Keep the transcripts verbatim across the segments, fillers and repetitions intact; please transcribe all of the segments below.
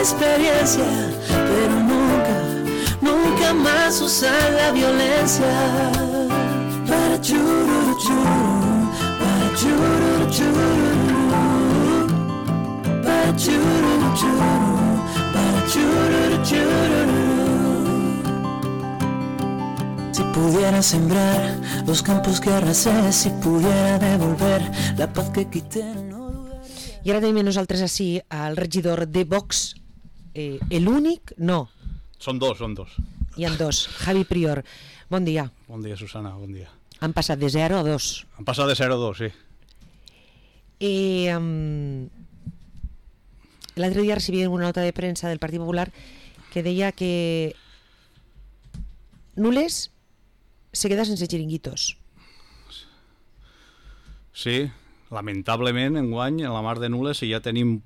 experiencia, pero nunca, nunca más usar la violencia. Para chururu chururu, para chururu chururu, para chururu chururu, para chururu chururu. Si pudiera sembrar los campos que arrasé, si pudiera devolver la paz que quité, no dudaría. I ara tenim nosaltres així al regidor de Vox, eh, l'únic, no. Són dos, són dos. Hi ha dos. Javi Prior, bon dia. Bon dia, Susana, bon dia. Han passat de zero a dos. Han passat de zero a dos, sí. Eh, um, L'altre dia recibia una nota de premsa del Partit Popular que deia que Nules se queda sense xiringuitos. Sí, lamentablement, enguany, en la mar de Nules, si ja tenim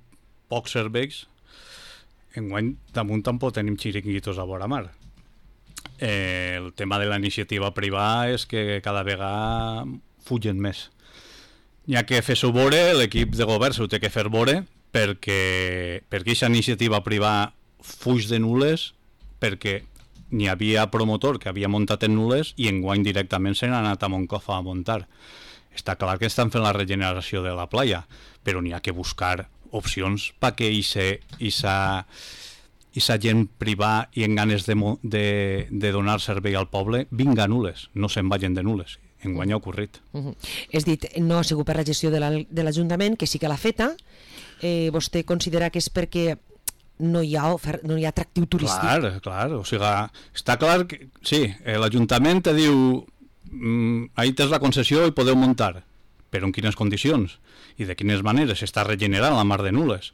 pocs serveis, enguany damunt tampoc tenim xiringuitos a vora mar. Eh, el tema de la iniciativa privada és que cada vegada fugen més. N'hi ha que fer-s'ho vore, l'equip de govern s'ho té que fer vore, perquè, perquè aquesta iniciativa privada fuig de Nules, perquè n'hi havia promotor que havia muntat en Nules i enguany directament se n'ha anat a Moncofa a muntar. Està clar que estan fent la regeneració de la playa, però n'hi ha que buscar opcions perquè aquesta gent privada i en ganes de, de, de donar servei al poble vinga a Nules, no se'n vagin de Nules. Enguany ha ocorrit. Uh -huh. És dit, no ha sigut per la gestió de l'Ajuntament, que sí que l'ha feta. Eh, vostè considera que és perquè no hi ha, ofer... no hi ha atractiu turístic? Clar, clar, o sigui, està clar que sí, l'Ajuntament te diu mmm, ahí tens la concessió i podeu muntar, però en quines condicions i de quines maneres s'està regenerant la mar de Nules.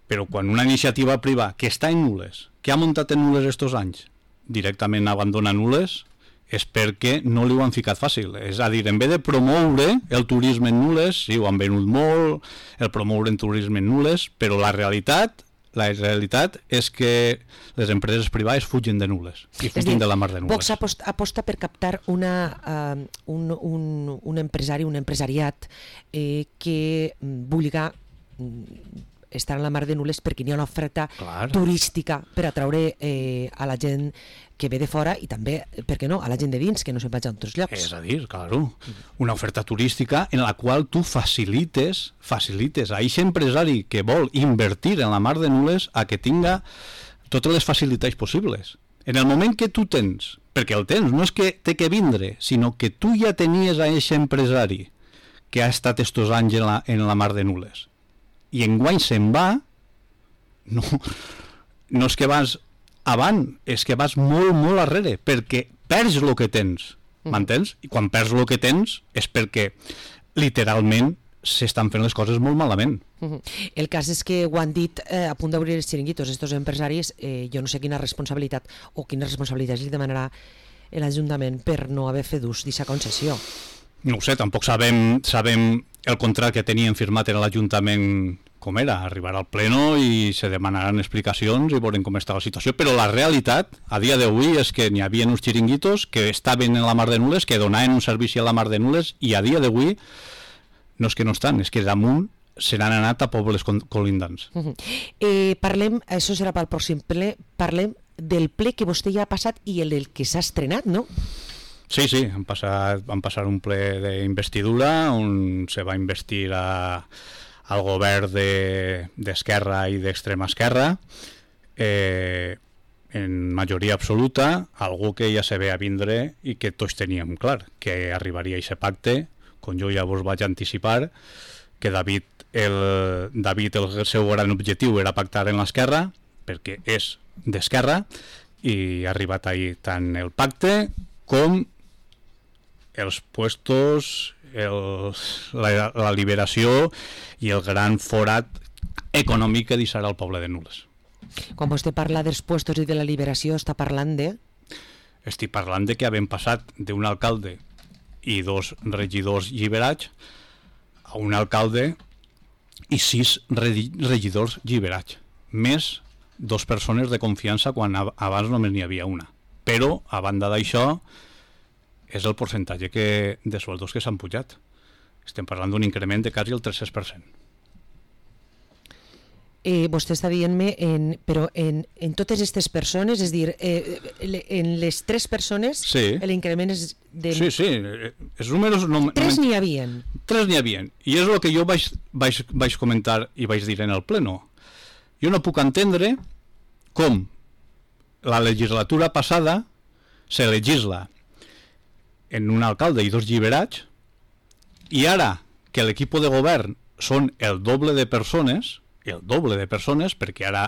Però quan una iniciativa privada que està en Nules, que ha muntat en Nules estos anys, directament abandona Nules, és perquè no li ho han ficat fàcil. És a dir, en vez de promoure el turisme en Nules, sí, ho han venut molt, el promoure el turisme en Nules, però la realitat La realitat és que les empreses privades fugen de Nules i fugen de la mar de Nules. Vox aposta, aposta per captar una, uh, un, un, un empresari, un empresariat eh, que vulga estar en la mar de Nules perquè hi ha una oferta Clar. turística per atraure eh, a la gent que ve de fora i també, per què no, a la gent de dins, que no se'n vaig a altres llocs. És a dir, claro, una oferta turística en la qual tu facilites, facilites a aquest empresari que vol invertir en la mar de Nules a que tinga totes les facilitats possibles. En el moment que tu tens, perquè el tens, no és que té que vindre, sinó que tu ja tenies a aquest empresari que ha estat estos anys en la, en la mar de Nules, i enguany se'n va, no, no és que vas avant, és que vas molt, molt arrere, perquè perds el que tens, m'entens? I quan perds el que tens és perquè literalment s'estan fent les coses molt malament. El cas és que ho han dit eh, a punt d'obrir els xiringuitos, estos empresaris, eh, jo no sé quina responsabilitat o quina responsabilitat li demanarà l'Ajuntament per no haver fet ús d'aquesta concessió. No ho sé, tampoc sabem, sabem el contracte que tenien firmat en l'Ajuntament com era, arribar al pleno i se demanaran explicacions i veurem com està la situació, però la realitat a dia d'avui és que n'hi havia uns xiringuitos que estaven en la mar de Nules, que donaven un servici a la mar de Nules, i a dia d'avui no és que no estan, és que damunt se n'han anat a pobles colindants. Uh -huh. eh, parlem, això serà pel pròxim ple, parlem del ple que vostè ja ha passat i el del que s'ha estrenat, no? Sí, sí, han passat, van passar un ple d'investidura on se va investir a al govern d'esquerra de, i d'extrema esquerra, eh, en majoria absoluta, algú que ja se ve a vindre i que tots teníem clar, que arribaria a aquest pacte, com jo ja vos vaig anticipar, que David el, David el seu gran objectiu era pactar en l'esquerra, perquè és d'esquerra, i ha arribat ahir tant el pacte com els puestos, el, la, la liberació i el gran forat econòmic que deixarà el poble de Nules. Quan vostè parla dels puestos i de la liberació, està parlant de... Estic parlant de que havem passat d'un alcalde i dos regidors lliberats a un alcalde i sis regidors lliberats, més dos persones de confiança quan abans només n'hi havia una. Però, a banda d'això, és el percentatge que, de sueldos que s'han pujat. Estem parlant d'un increment de quasi el tres-cents per cent. eh, vostè està dient-me, en, però en, en totes aquestes persones, és dir, eh, en les tres persones, sí. l'increment és de... Sí, sí, els números... No, tres no, n'hi havien. Tres n'hi havien, i és el que jo vaig, vaig, vaig comentar i vaig dir en el pleno. Jo no puc entendre com la legislatura passada se legisla en un alcalde i dos lliberats, i ara que l'equip de govern són el doble de persones, el doble de persones, perquè ara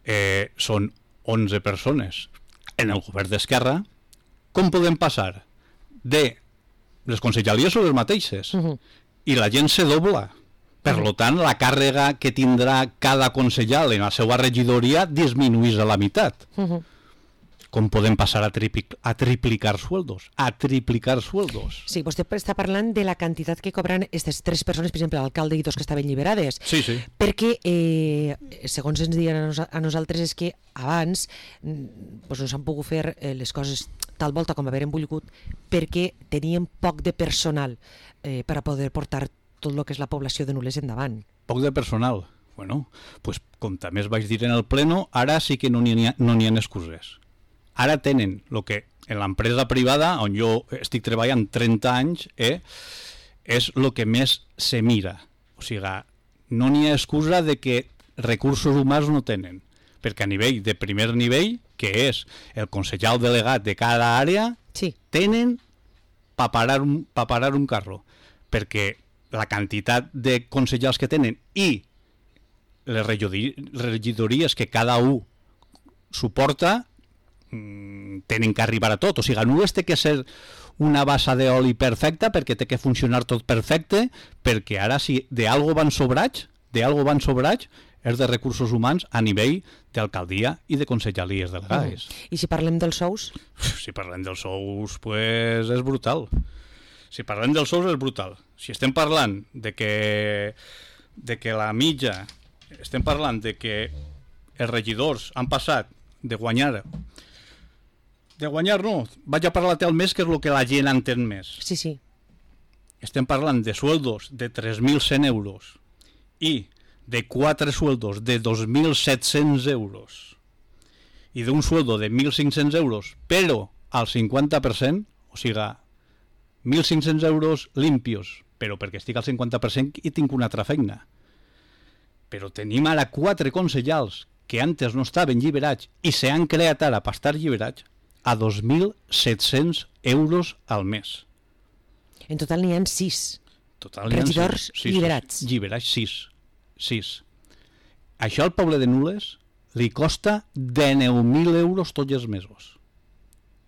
eh, són onze persones en el govern d'Esquerra, com podem passar de les conselleries són les mateixes, uh-huh. i la gent se dobla. Per uh-huh. tant, la càrrega que tindrà cada consellal en la seva regidoria disminuís a la meitat. Uh-huh. Com podem passar a, triplic, a triplicar sueldos? A triplicar sueldos. Sí, vostè està parlant de la quantitat que cobran aquestes tres persones, per exemple, l'alcalde i dos que estaven lliberades. Sí, sí. Perquè, eh, segons ens diuen a, nos, a nosaltres, és que abans pues, no s'han pogut fer eh, les coses tal volta com haver volgut perquè teníem poc de personal eh, per a poder portar tot el que és la població de Nules endavant. Poc de personal? Bueno, pues, com també es vaig dir en el pleno, ara sí que no n'hi ha, no n'hi ha excuses. Ara tenen el que en l'empresa privada, on jo estic treballant trenta anys, eh, és el que més se mira. O sigui, no n'hi ha excusa de que recursos humans no tenen, perquè a nivell de primer nivell, que és el consellal delegat de cada àrea, sí. tenen per parar, un, pa parar un carro, perquè la quantitat de consellals que tenen i les regidories que cada un suporta tenen que arribar a tot. O sigui, no és té que ser una bassa d'oli perfecta perquè té que funcionar tot perfecte, perquè ara si d'algo van sobrats, d'algo van sobrats, és de recursos humans a nivell d'alcaldia i de conselleries delegades. Mm. I si parlem dels sous? Si parlem dels sous, pues és brutal. Si parlem dels sous és brutal. Si estem parlant de que, de que la mitja, estem parlant de que els regidors han passat de guanyar de guanyar no, vaig a parlar al mes, que és el que la gent entén més. Sí, sí. Estem parlant de sueldos de tres mil cent euros i de quatre sueldos de dos mil set-cents euros i d'un sueldo de mil cinc-cents euros, però al cinquanta per cent, o sigui, mil cinc-cents euros limpios, però perquè estic al cinquanta per cent i tinc una altra feina. Però tenim ara quatre consellals que antes no estaven lliberats i s'han creat ara per estar lliberats a dos mil set-cents euros al mes. En total n'hi ha sis total regidors sis, sis, lliberats. Lliberats, sis. sis. Això al poble de Nules li costa dinou mil euros tots els mesos.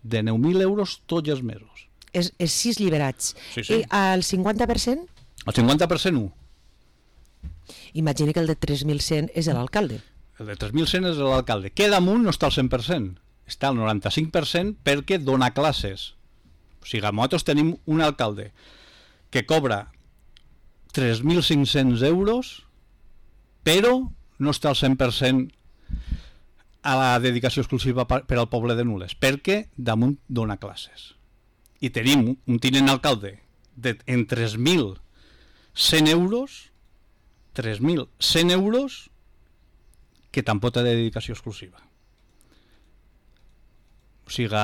dinou mil euros tots els mesos. És, és sis lliberats. Sí, sí. I al cinquanta per cent? El cinquanta per cent un. Imagina que el de tres mil cent és l'alcalde. El de tres mil cent és l'alcalde. Que damunt no està al cent per cent. Està al noranta-cinc per cent perquè dona classes. O sigui, nosaltres tenim un alcalde que cobra tres mil cinc-cents euros, però no està al cent per cent a la dedicació exclusiva per al poble de Nules, perquè damunt dona classes. I tenim un tinent alcalde de, en tres mil cent euros, tres mil cent euros, que tampoc té dedicació exclusiva. O sigui,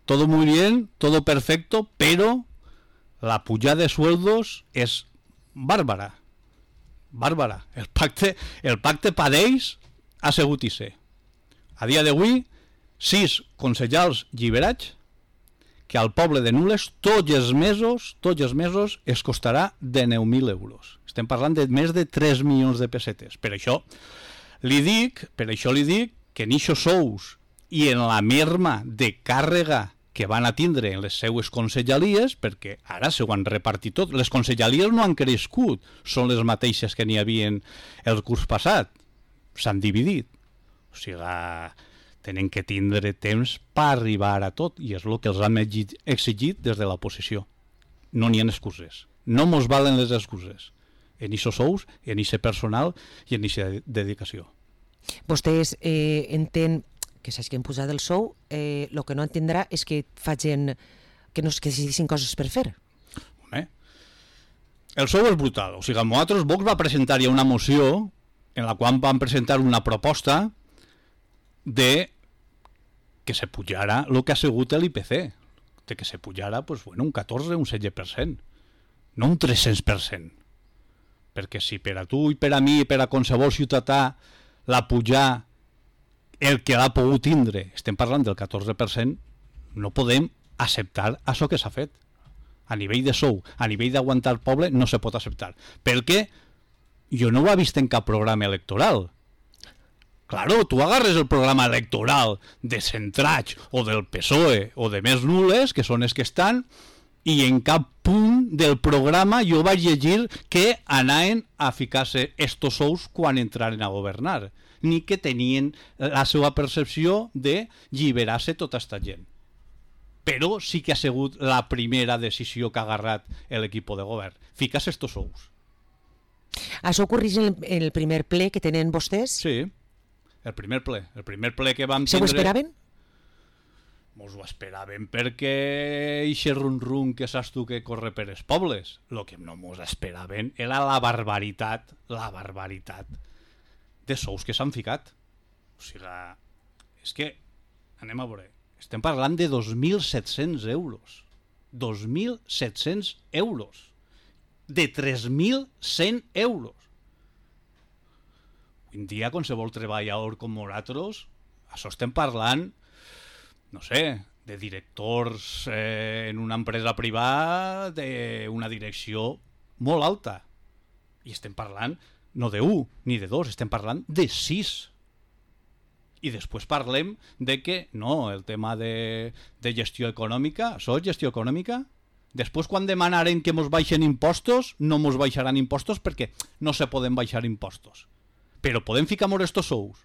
todo muy bien, todo perfecto, pero la pujada de sueldos es bàrbara. Bàrbara. El pacte, el pacte per ells ha sigut ise. A dia d'avui, sis consellals lliberats que al poble de Nules tots els mesos, tots els mesos es costarà dinou mil euros. Estem parlant de més de tres milions de pessetes. Per això li dic, per això li dic que en ixos sous i en la merma de càrrega que van a tindre en les seues consellalies, perquè ara s'ho han repartit tot. Les consellalies no han crescut, són les mateixes que n'hi havia el curs passat. S'han dividit. O sigui, tenen que tindre temps per arribar a tot, i és el que els han exigit des de l'oposició. No n'hi ha excuses. No mos valen les excuses. En ixos sous, en ixe personal i en ixa dedicació. Vostès eh, entén que saps que hem posat el sou, eh, el que no entendrà és que facin, que no es que decidissin coses per fer. Home, el sou és brutal. O sigui, nosaltres, Vox va presentar ja una moció en la qual van presentar una proposta de que se pujara el que ha sigut l'I P C, de que se pujara pues, bueno, un catorze, un setze per cent, no un tres-cents per cent. Perquè si per a tu i per a mi i per a qualsevol ciutadà la pujar el que l'ha pogut tindre, estem parlant del catorze per cent, no podem acceptar això que s'ha fet. A nivell de sou, a nivell d'aguantar el poble, no se pot acceptar. Perquè jo no ho he vist en cap programa electoral. Claro, tu agarres el programa electoral de Centrach o del P S O E o de Més Nules, que són els que estan, i en cap punt del programa jo vaig llegir que anaven a ficar-se estos sous quan entraren a governar, ni que tenien la seva percepció de lliberar-se tota esta gent. Però sí que ha sigut la primera decisió que ha agarrat l'equip de govern, ficar-se estos sous. Això ocorreix en el primer ple que tenen vostès? Sí. El primer ple, el primer ple que vam tindre... Se ho esperaven? Mos ho esperaven perquè ixe rum-rum que saps tu que corre per els pobles. El que no mos esperaven era la barbaritat, la barbaritat de sous que s'han ficat. O sigui, és que, anem a veure, estem parlant de dos mil set-cents euros. dos mil set-cents euros. De tres mil cent euros. Avui en dia, qualsevol treballador com nosaltres, això estem parlant, no sé, de directors eh, en una empresa privada d'una direcció molt alta. I estem parlant no de un ni de dos, estem parlant de sis. I després parlem de que, no, el tema de, de gestió econòmica, això és gestió econòmica? Després, quan demanaren que mos baixen impostos, no mos baixaran impostos perquè no se poden baixar impostos. Però podem ficar molt estos sous.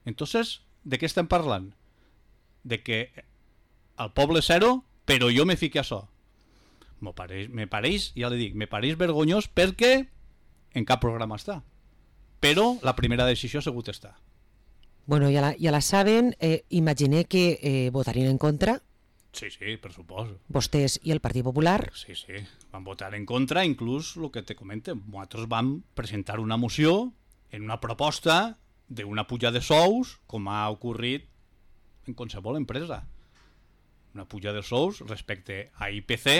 Entonces, de què estem parlant? De que el poble zero, però jo me fique això. Me pareix, me pareix, ja li dic, me pareix vergonyós perquè en cap programa està. Però la primera decisió ha sigut estar. Bueno, ja la, ja la saben, eh, imaginé que eh, votarien en contra. Sí, sí, per suposo. Vostès i el Partit Popular. Sí, sí, van votar en contra, inclús el que te comente. Nosaltres vam presentar una moció en una proposta d'una puja de sous, com ha ocorrit en qualsevol empresa. Una puja de sous respecte a I P C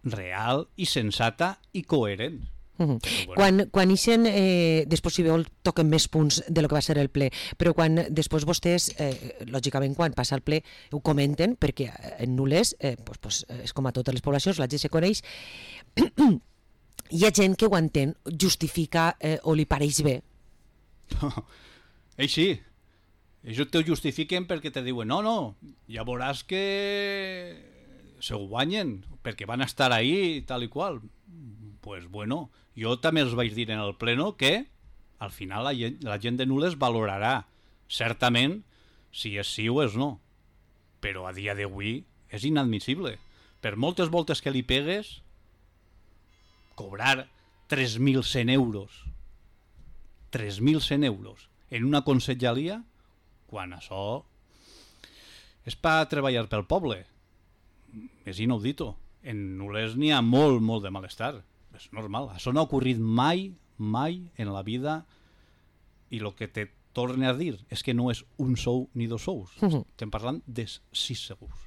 real i sensata i coherent. Uh-huh. Bueno. Quan, quan ixen, eh, després si vol toquen més punts de lo que va ser el ple, però quan després vostès, eh, lògicament quan passa el ple ho comenten, perquè en Nules eh, pues, pues, és com a totes les poblacions, la gent se coneix. Hi ha gent que ho entén, justifica eh, o li pareix bé. Ells sí, ells te ho justifiquen perquè te diuen no, no, ja veuràs que se ho guanyen perquè van estar ahí tal i qual. Pues bueno, jo també els vaig dir en el pleno que al final la gent, la gent de Nules valorarà certament si és sí o és no, però a dia d'avui és inadmissible. Per moltes voltes que li pegues, cobrar tres mil cent euros tres mil cent euros en una conselleria, quan això és per treballar pel poble, és inaudito. En Nules n'hi ha molt, molt de malestar. És normal, això no ha ocorrit mai, mai en la vida, i el que te torne a dir és que no és un sou ni dos sous, uh-huh. Estem parlant de sis sous.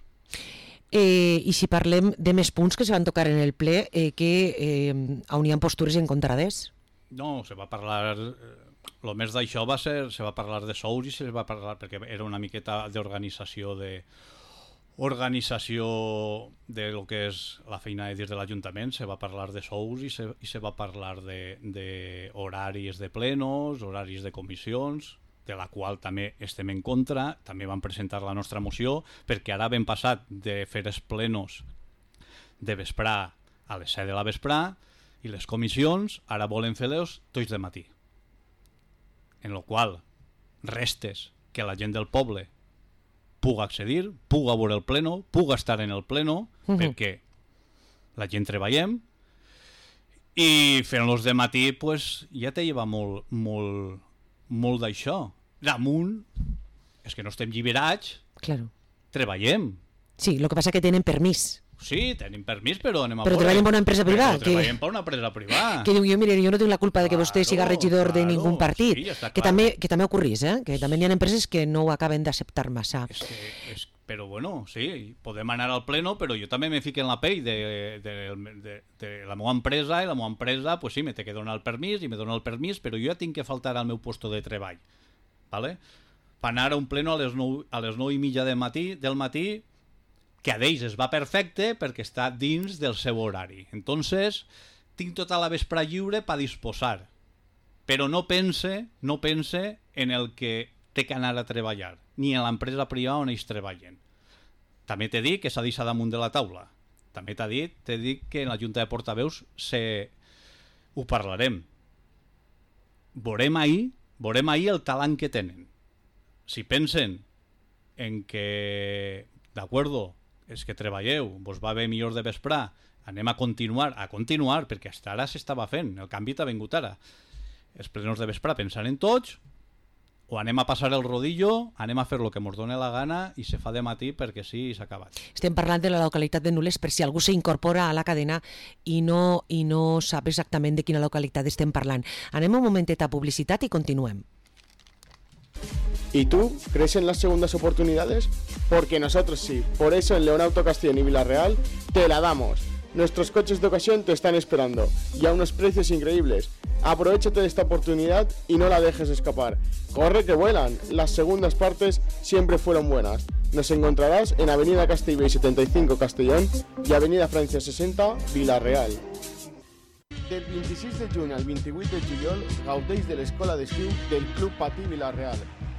Eh, I si parlem de més punts que se van tocar en el ple, eh, que eh, on hi ha postures encontrades? No, se va parlar, el més d'això va ser, se va parlar de sous i se va parlar, perquè era una miqueta d'organització de organització de lo que és la feina de dins de l'Ajuntament, se va parlar de sous i se, i se va parlar de, de horaris de plenos, horaris de comissions, de la qual també estem en contra. També vam presentar la nostra moció, perquè ara hem passat de fer els plenos de vesprà a les set de la vesprà i les comissions ara volen fer-los tots de matí. En lo qual restes que la gent del poble puga accedir, puga veure el pleno, puga estar en el pleno, uh-huh. Perquè la gent treballem i fent-los de matí pues, ja te lleva molt, molt, molt d'això. Damunt, és que no estem lliberats, claro. Treballem. Sí, el que passa que tenen permís. Sí, tenim permís, però anem a però treballen per una empresa privada. Però treballem per una empresa privada. Que diu, jo, mire, jo no tinc la culpa de que vostè siga regidor de ningú partit. Sí, ja que, també, que també ocorrís, eh? Que també hi ha empreses que no ho acaben d'acceptar massa. És que, és, però bueno, sí, podem anar al pleno, però jo també me fico en la pell de, de, de, de la meva empresa, i la meva empresa, pues sí, me té que donar el permís, i me dona el permís, però jo ja tinc que faltar al meu puesto de treball. ¿Vale? Per anar a un pleno a les nou, a les nou i mitja del matí, del matí, que a d'ells es va perfecte perquè està dins del seu horari. Entonces, tinc tota la vespre lliure per disposar. Però no pense, no pense en el que té que anar a treballar, ni en l'empresa privada on ells treballen. També t'he dit que s'ha deixat damunt de la taula. També t'he dit, t'he dit que en la Junta de Portaveus se... ho parlarem. Veurem ahir, veurem ahir el talent que tenen. Si pensen en que, d'acord, és que treballeu, vos va bé millor de vesprar, anem a continuar, a continuar, perquè fins ara s'estava fent, el canvi t'ha vingut ara. Els plenos de vesprar pensant en tots, o anem a passar el rodillo, anem a fer el que ens doni la gana i se fa de matí perquè sí, s'ha acabat. Estem parlant de la localitat de Nules per si algú s'incorpora a la cadena i no, i no sap exactament de quina localitat estem parlant. Anem un momentet a publicitat i continuem. ¿Y tú crees en las segundas oportunidades? Porque nosotros sí. Por eso en León Auto Castellón y Villarreal te la damos. Nuestros coches de ocasión te están esperando y a unos precios increíbles. Aprovechate de esta oportunidad y no la dejes escapar. Corre que vuelan. Las segundas partes siempre fueron buenas. Nos encontrarás en Avenida Castellbell setenta y cinco Castellón y Avenida Francia sesenta Villarreal. Del vint-i-sis de juny al vint-i-vuit de juliol gaudeix de l'escola d'estiu del Club Patí Villarreal.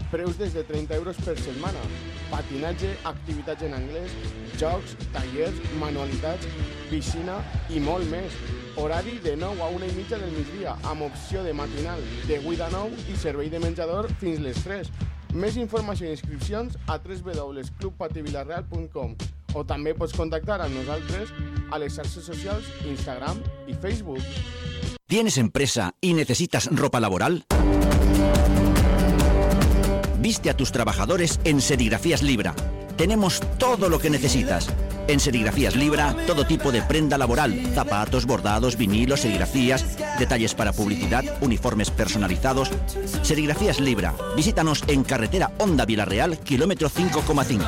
Preus des de trenta euros per setmana. Patinatge, activitats en anglès, jocs, tallers, manualitats, piscina i molt més. Horari de nou a una i mitja del migdia, amb opció de matinal de vuit a nou i servei de menjador fins les tres. Més informació i inscripcions a w w w punt club patí villarreal punt com o també pots contactar amb nosaltres a les xarxes socials Instagram i Facebook. ¿Tienes empresa y necesitas ropa laboral? Viste a tus trabajadores en Serigrafías Libra. Tenemos todo lo que necesitas. En Serigrafías Libra, todo tipo de prenda laboral, zapatos, bordados, vinilos, serigrafías, detalles para publicidad, uniformes personalizados. Serigrafías Libra. Visítanos en carretera Honda Villarreal, kilómetro cinco coma cinco.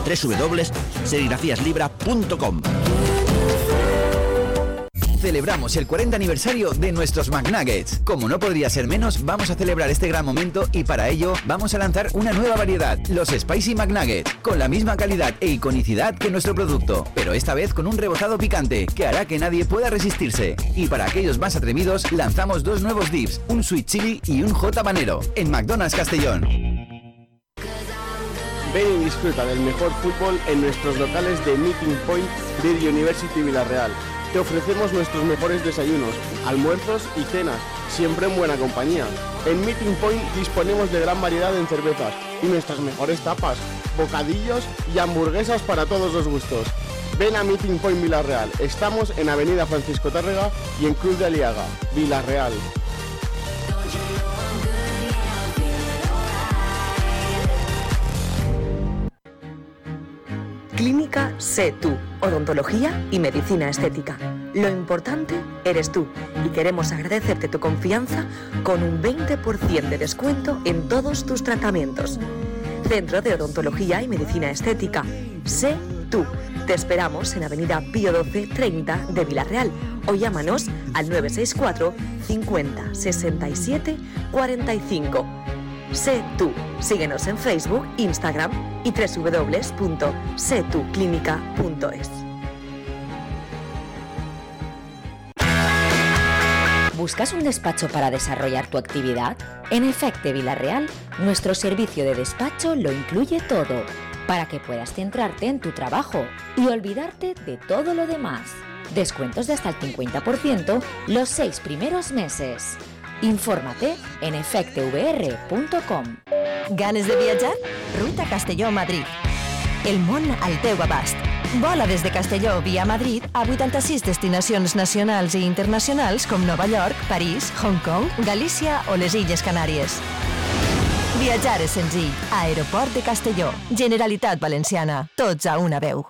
w w w punto serigrafías libra punto com. Celebramos el cuarenta aniversario de nuestros McNuggets. Como no podría ser menos, vamos a celebrar este gran momento y para ello vamos a lanzar una nueva variedad, los Spicy McNuggets, con la misma calidad e iconicidad que nuestro producto, pero esta vez con un rebozado picante que hará que nadie pueda resistirse. Y para aquellos más atrevidos, lanzamos dos nuevos dips, un Sweet Chili y un Hot Habanero, en McDonald's Castellón. Ven y disfruta del mejor fútbol en nuestros locales de Meeting Point de University Villarreal. Te ofrecemos nuestros mejores desayunos, almuerzos y cenas, siempre en buena compañía. En Meeting Point disponemos de gran variedad en cervezas y nuestras mejores tapas, bocadillos y hamburguesas para todos los gustos. Ven a Meeting Point Villarreal. Estamos en Avenida Francisco Tárrega y en Cruz de Aliaga, Villarreal. Clínica Sé Tú, odontología y medicina estética. Lo importante eres tú y queremos agradecerte tu confianza con un veinte por ciento de descuento en todos tus tratamientos. Centro de Odontología y Medicina Estética. Sé Tú. Te esperamos en Avenida Pío doce treinta de Villarreal o llámanos al nueve seis cuatro cincuenta sesenta y siete cuarenta y cinco. Sé Tú. Síguenos en Facebook, Instagram y w w w punto sé tú clínica punto es. ¿Buscas un despacho para desarrollar tu actividad? En Efecte Villarreal, nuestro servicio de despacho lo incluye todo, para que puedas centrarte en tu trabajo y olvidarte de todo lo demás. Descuentos de hasta el cincuenta por ciento los seis primeros meses. Infórmate en efecte v r punto com. Ganes de viatjar? Ruta Castelló-Madrid. El món al teu abast. Vola des de Castelló via Madrid a vuitanta-sis destinacions nacionals i internacionals com Nova York, París, Hong Kong, Galícia o les Illes Canàries. Viatjar és senzill. Aeroport de Castelló. Generalitat Valenciana. Tots a una veu.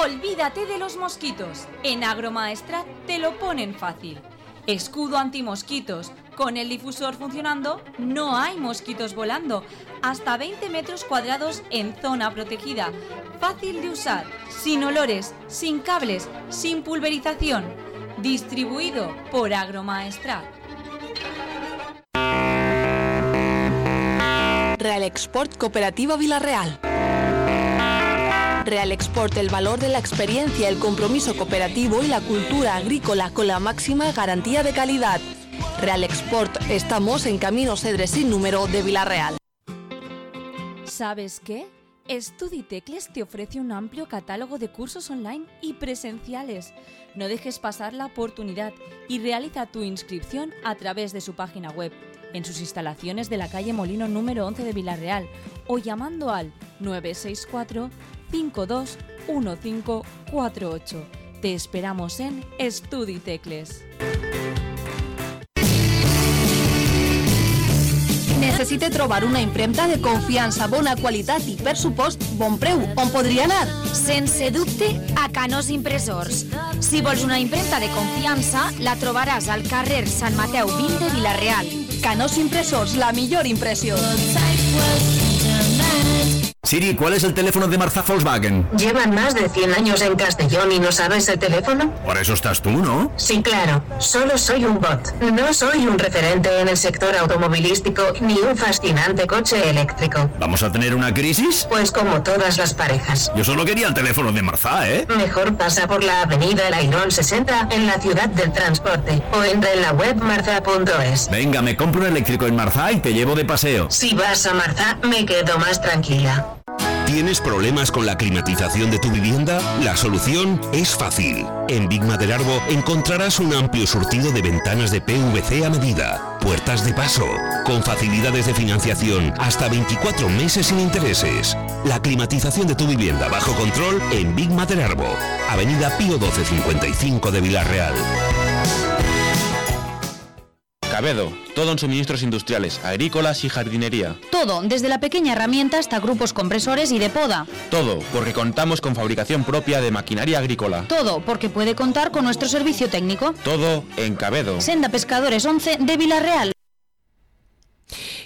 Olvídate de los mosquitos. En Agromaestrat te lo ponen fácil. Escudo antimosquitos. Con el difusor funcionando, no hay mosquitos volando. Hasta veinte metros cuadrados en zona protegida. Fácil de usar, sin olores, sin cables, sin pulverización. Distribuido por Agromaestrat. Real Export Cooperativa Vila-real. Real Export, el valor de la experiencia, el compromiso cooperativo y la cultura agrícola con la máxima garantía de calidad. Real Export, estamos en Camino Cedres sin número de Vila-real. ¿Sabes qué? Studitecles te ofrece un amplio catálogo de cursos online y presenciales. No dejes pasar la oportunidad y realiza tu inscripción a través de su página web, en sus instalaciones de la calle Molino número once de Vila-real o llamando al nueve seis cuatro, cinco dos uno cinco cuatro ocho. Te esperamos en Studitecles. Necessite trobar una impremta de confiança, bona qualitat i, per supost, bon preu. On podria anar? Sense dubte, a Canós Impressors. Si vols una impremta de confiança, la trobaràs al carrer Sant Mateu vint de Vila-real. Canós Impressors, la millor impressió. Siri, ¿cuál es el teléfono de Marzá Volkswagen? ¿Llevan más de cien años en Castellón y no sabes el teléfono? Por eso estás tú, ¿no? Sí, claro. Solo soy un bot. No soy un referente en el sector automovilístico ni un fascinante coche eléctrico. ¿Vamos a tener una crisis? Pues como todas las parejas. Yo solo quería el teléfono de Marzá, ¿eh? Mejor pasa por la avenida El Airón sesenta en la ciudad del transporte o entra en la web marzá punto es. Venga, me compro un eléctrico en Marzá y te llevo de paseo. Si vas a Marzá, me quedo más tranquila. ¿Tienes problemas con la climatización de tu vivienda? La solución es fácil. En Big Maderarbo encontrarás un amplio surtido de ventanas de P V C a medida, puertas de paso, con facilidades de financiación hasta veinticuatro meses sin intereses. La climatización de tu vivienda bajo control en Big Maderarbo, Avenida Pío doce cincuenta y cinco de Vila-real. Cabedo, todo en suministros industriales, agrícolas y jardinería. Todo, desde la pequeña herramienta hasta grupos compresores y de poda. Todo, porque contamos con fabricación propia de maquinaria agrícola. Todo, porque puede contar con nuestro servicio técnico. Todo en Cabedo. Senda Pescadores once de Vila-real.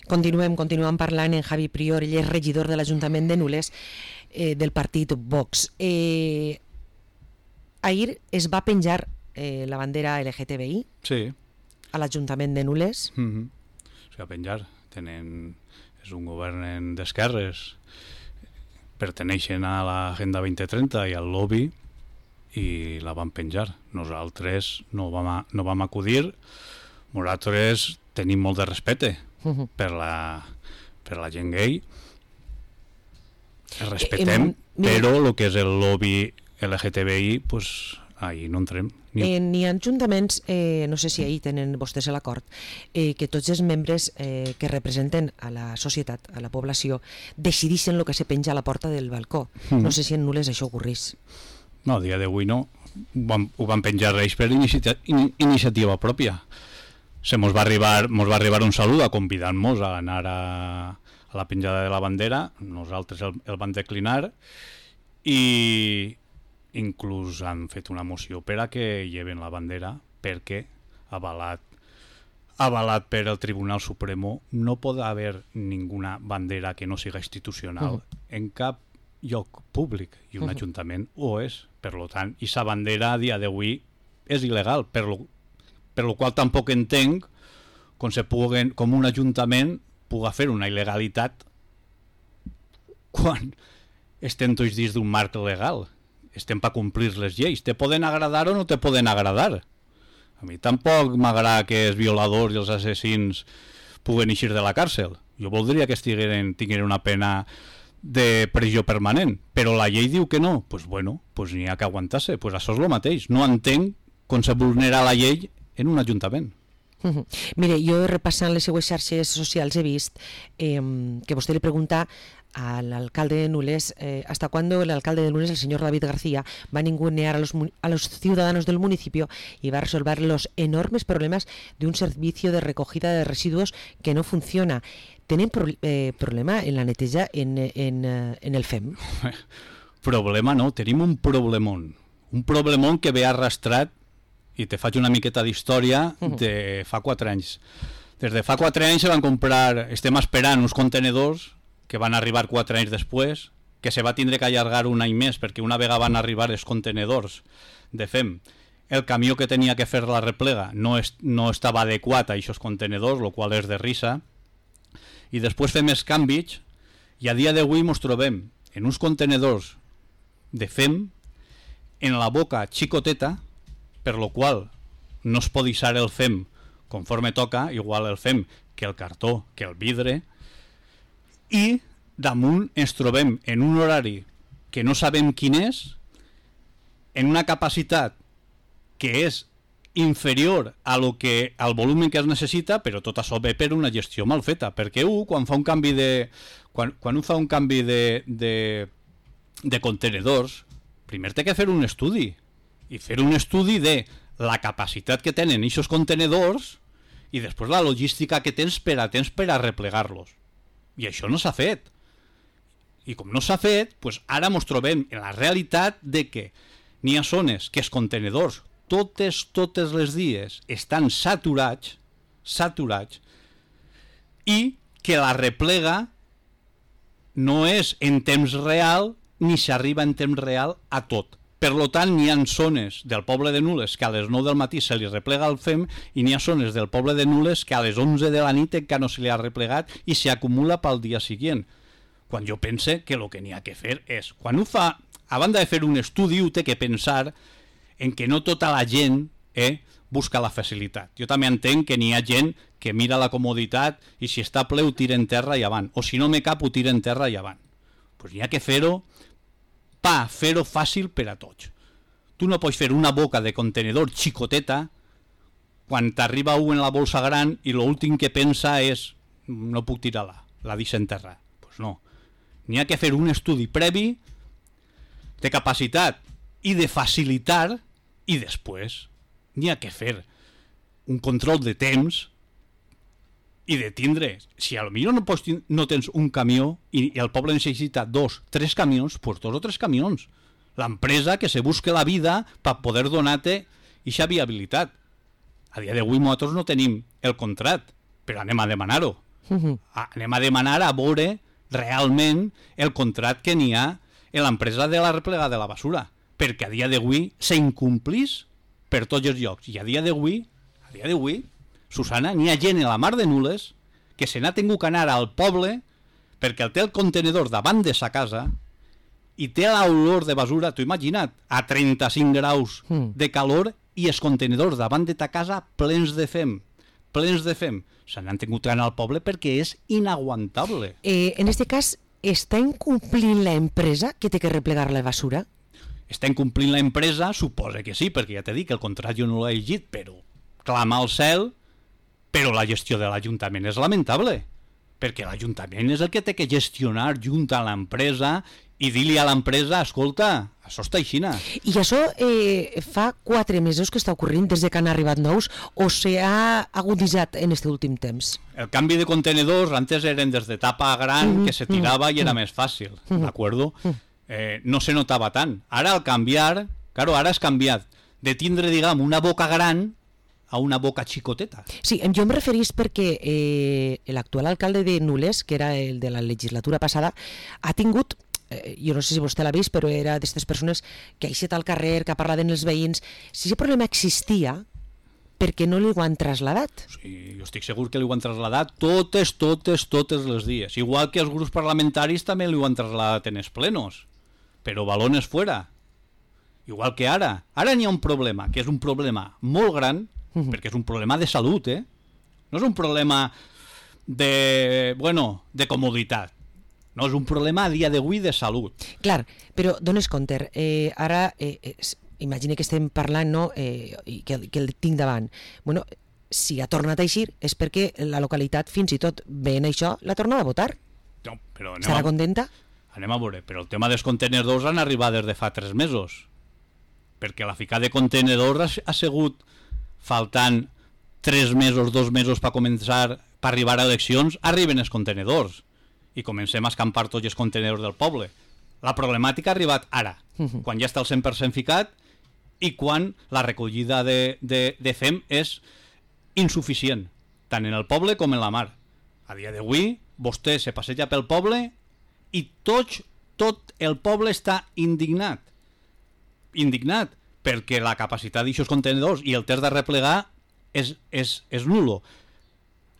Continuem, continuem parlant en Javi Prior, ell és regidor de l'Ajuntament de Nules, eh, del partit Vox. Eh, ahir es va penjar eh, la bandera L G T B I. Sí. A l'Ajuntament de Nules. Mm-hmm. O sigui, a penjar. Tenen... És un govern d'esquerres, perteneixen a l'Agenda vint trenta i al lobby i la van penjar. Nosaltres no vam, a, no vam acudir. Nosaltres tenim molt de respecte uh-huh. per, la, per la gent gay. El respetem, eh, eh, però el que és el lobby L G T B I, pues, ahí no entrem. Ni, eh, ni ajuntaments, eh, no sé si ahir tenen vostès l'acord, eh, que tots els membres eh, que representen a la societat, a la població, decidissin el que se penja a la porta del balcó. Mm. No sé si en Nules això ocorrís. No, a dia d'avui no. Ho van, ho van penjar ells per inicia, in, iniciativa pròpia. Se mos va arribar, mos va arribar un salut a convidar-nos a anar a, a la penjada de la bandera. Nosaltres el, el van declinar i inclús han fet una moció per a que lleven la bandera perquè avalat, avalat per el Tribunal Supremo no pot haver ninguna bandera que no siga institucional uh-huh. en cap lloc públic i un uh-huh. ajuntament ho és, per lo tant, i sa bandera a dia d'avui és il·legal, per lo, per lo qual tampoc entenc com, se puguen, com un ajuntament puga fer una il·legalitat quan estem tots dins d'un marc legal. Estem per complir les lleis. Te poden agradar o no te poden agradar. A mi tampoc m'agrada que els violadors i els assassins puguen eixir de la càrcel. Jo voldria que estigueren, tingueren una pena de presó permanent, però la llei diu que no. Doncs pues bueno, pues n'hi ha que aguantar-se. Pues això és el mateix. No entenc com se vulnera la llei en un ajuntament. Uh-huh. Mire, jo repassant les seues xarxes socials he vist eh, que vostè li pregunta al alcalde de Nules eh, hasta cuándo el alcalde de Nules, el señor David García, va a ningunear a los, a los ciudadanos del municipio y va a resolver los enormes problemas de un servicio de recogida de residuos que no funciona. ¿Tienen pro, eh, problema en la neteja en, en, en el F E M? Problema no, tenim un problemón. Un problemón que ve arrastrat, i te faig una miqueta d'història, de fa quatre anys. Des de fa quatre anys se van comprar, estem esperant uns contenedors que van arribar quatre anys després, que se va tindre que allargar un any més, perquè una vegada van arribar els contenedors de F E M. El camió que tenia que fer la replega no, es, no estava adequat a aquests contenedors, el qual és de risa, i després fem els canvis, i a dia d'avui ens trobem en uns contenedors de F E M en la boca xicoteta, per lo qual no es pot deixar el F E M conforme toca, igual el F E M que el cartó, que el vidre, i damunt ens trobem en un horari que no sabem quin és, en una capacitat que és inferior a lo que, al volum que es necessita, però tot això ve per una gestió mal feta, perquè un, quan fa un canvi de quan, quan un fa un canvi de, de, de contenedors, primer té que fer un estudi, i fer un estudi de la capacitat que tenen aquests contenedors i després la logística que tens per a temps per a replegar-los. I això no s'ha fet. I com no s'ha fet, doncs ara ens trobem en la realitat de que n'hi ha zones que els contenedors totes, totes les dies estan saturats, saturats, i que la replega no és en temps real ni s'arriba en temps real a tot. Per tant, n'hi ha zones del poble de Nules que a les nou del matí se li replega el F E M i n'hi ha zones del poble de Nules que a les onze de la nit encara no se li ha replegat i s'acumula pel dia següent. Quan jo pense que el que n'hi ha que fer és, quan ho fa, a banda de fer un estudi, ho té que pensar en que no tota la gent eh, busca la facilitat. Jo també entenc que n'hi ha gent que mira la comoditat i si està ple ho tira en terra i avant, o si no me cap ho tira en terra i avant. Doncs n'hi ha que fer-ho pa, fer-ho fàcil per a tots. Tu no pots fer una boca de contenedor xicoteta quan t'arriba un en la bolsa gran i l'últim que pensa és no puc tirar-la, la deixa en terra. Doncs pues no. N'hi ha que fer un estudi previ de capacitat i de facilitar i després n'hi ha que fer un control de temps i de tindre, si potser no, pots, no tens un camió i, i el poble necessita dos, tres camions, doncs dos o tres camions. L'empresa que se busque la vida per poder donar-te aquesta viabilitat. A dia d'avui nosaltres no tenim el contrat, però anem a demanar-ho. Uh-huh. Anem a demanar a veure realment el contrat que n'hi ha en l'empresa de la replega de la basura, perquè a dia d'avui s'incomplís per tots els llocs. I a dia d'avui, a dia d'avui, Susana, n'hi ha gent a la mar de Nules que se n'ha tingut que anar al poble perquè el té el contenedor davant de sa casa i té l'olor de basura, t'ho imagina't, a trenta-cinc graus mm. de calor i els contenedors davant de ta casa plens de F E M, plens de F E M. Se n'han tingut que anar al poble perquè és inaguantable. Eh, en este cas, està incomplint l'empresa que té que replegar la basura? Està incomplint l'empresa? Suposa que sí, perquè ja t'he dit que el contrat jo no l'he llegit, però clama al cel. Però la gestió de l'Ajuntament és lamentable, perquè l'Ajuntament és el que té que gestionar junt a l'empresa i dir-li a l'empresa, escolta, això està aixina. I això eh, fa quatre mesos que està ocorrent des de que han arribat nous o s'ha aguditzat en aquest últim temps? El canvi de contenedors antes eren des de tapa gran mm-hmm. que se tirava mm-hmm. i era més fàcil, mm-hmm. d'acord? Eh, no se notava tant. Ara al canviar, claro, ara has canviat de tindre, diguem, una boca gran a una boca xicoteta. Sí, jo em referís perquè eh, l'actual alcalde de Nules, que era el de la legislatura passada, ha tingut, eh, jo no sé si vostè l'ha vist, però era d'aquestes persones que ha eixit al carrer, que ha parlat amb els veïns. Si aquest problema existia, per què no li ho han trasladat? Sí, jo estic segur que li ho han trasladat totes, totes, totes les dies. Igual que els grups parlamentaris també li ho han trasladat en els plenos, però balones fuera. Igual que ara. Ara n'hi ha un problema, que és un problema molt gran, uh-huh. perquè és un problema de salut, eh? No és un problema de, bueno, de comoditat. No, és un problema a dia d'avui de salut. Clar, però dones compte, eh, ara, eh, eh, imagina que estem parlant, no?, eh, i que, que el tinc davant. Bueno, si ha tornat a eixir és perquè la localitat, fins i tot veient això, l'ha tornat a votar. No, però estarà a... contenta? Anem a veure, però el tema dels contenedors han arribat des de fa tres mesos. Perquè la ficada de contenedors ha, ha sigut faltant tres mesos, dos mesos per començar, per arribar a eleccions, arriben els contenedors i comencem a escampar tots els contenedors del poble. La problemàtica ha arribat ara, uh-huh. quan ja està el cent per cent ficat i quan la recollida de, de, de F E M és insuficient, tant en el poble com en la mar. A dia d'avui, vostè se passeja pel poble i tots, tot el poble està indignat. Indignat, perquè la capacitat d'aixòs contenedors i el test de replegar és, és, és nulo.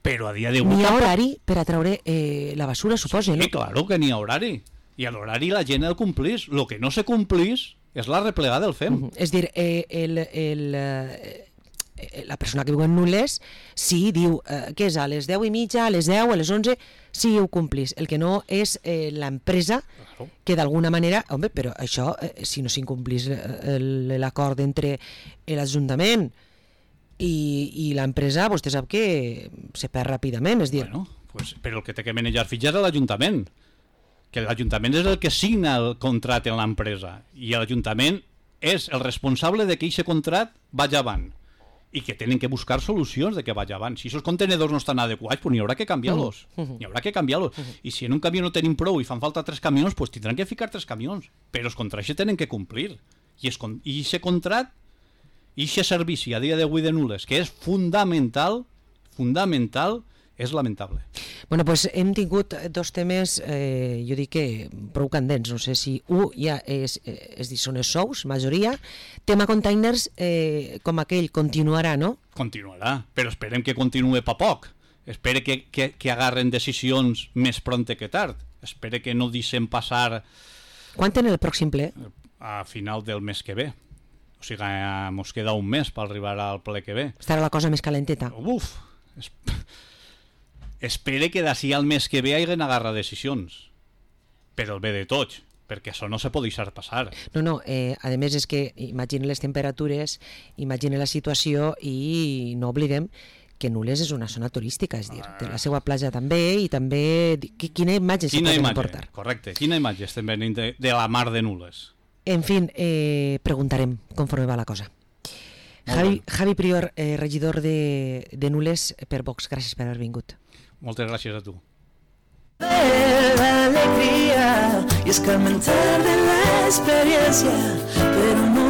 Però a dia d'avui... N'hi ha horari per a treure eh, la basura, suposa, sí, no? Sí, claro que n'hi ha horari. I a l'horari la gent el complís. El que no se complís és la replegada del F E M. Uh-huh. És dir, eh, el, el, eh, la persona que viu en Nules sí diu eh, que és a les deu i mitja, a les deu, a les onze, sí ho complís. El que no és eh, l'empresa claro. que d'alguna manera... Home, però això, eh, si no s'incomplís l'acord entre l'Ajuntament i, i l'empresa, vostè sap que se perd ràpidament, és dir... Bueno, pues, però el que té que manejar fitxes és l'Ajuntament, que l'Ajuntament és el que signa el contracte en l'empresa, i l'Ajuntament és el responsable de que aquest contracte vagi avant, i que tenen que buscar solucions de que vagi avant. Si aquests contenedors no estan adequats, pues n'hi haurà que canviar-los. Uh-huh. N'hi haurà que canviar-los. Uh-huh. I si en un camió no tenim prou i fan falta tres camions, pues tindran que ficar tres camions. Però els contractes tenen que complir. I aquest contracte, i aquest servici a dia d'avui de Nules, que és fundamental, fundamental, és lamentable. Bueno, pues hem tingut dos temes, eh, jo dic que prou candents, no sé si un ja és, és dir, són els sous, majoria. Tema containers, eh, com aquell, continuarà, no? Continuarà, però esperem que continuï pa poc. Espere que, que, que agarren decisions més pronte que tard. Espere que no deixen passar... Quan tenen el pròxim ple? A final del mes que ve. O sigui, mos queda un mes per arribar al ple que ve. Estarà la cosa més calenteta. Uf! Es... Espere que d'ací al mes que ve hagin agarrat decisions, per el bé de tots, perquè això no se pot deixar passar. No, no, eh, a més és que imagine les temperatures, imagine la situació i no oblidem que Nules és una zona turística, és dir, té la seva platja també i també... Quina imatge se poden portar? Correcte, quina imatge estem venint de, de la mar de Nules? En fi, eh, preguntarem conforme va la cosa. Javi, Javi Prior, eh, regidor de, de Nules per Vox, gràcies per haver vingut. Moltes gràcies a tu. La alegría y escarmentar de la experiencia, pero no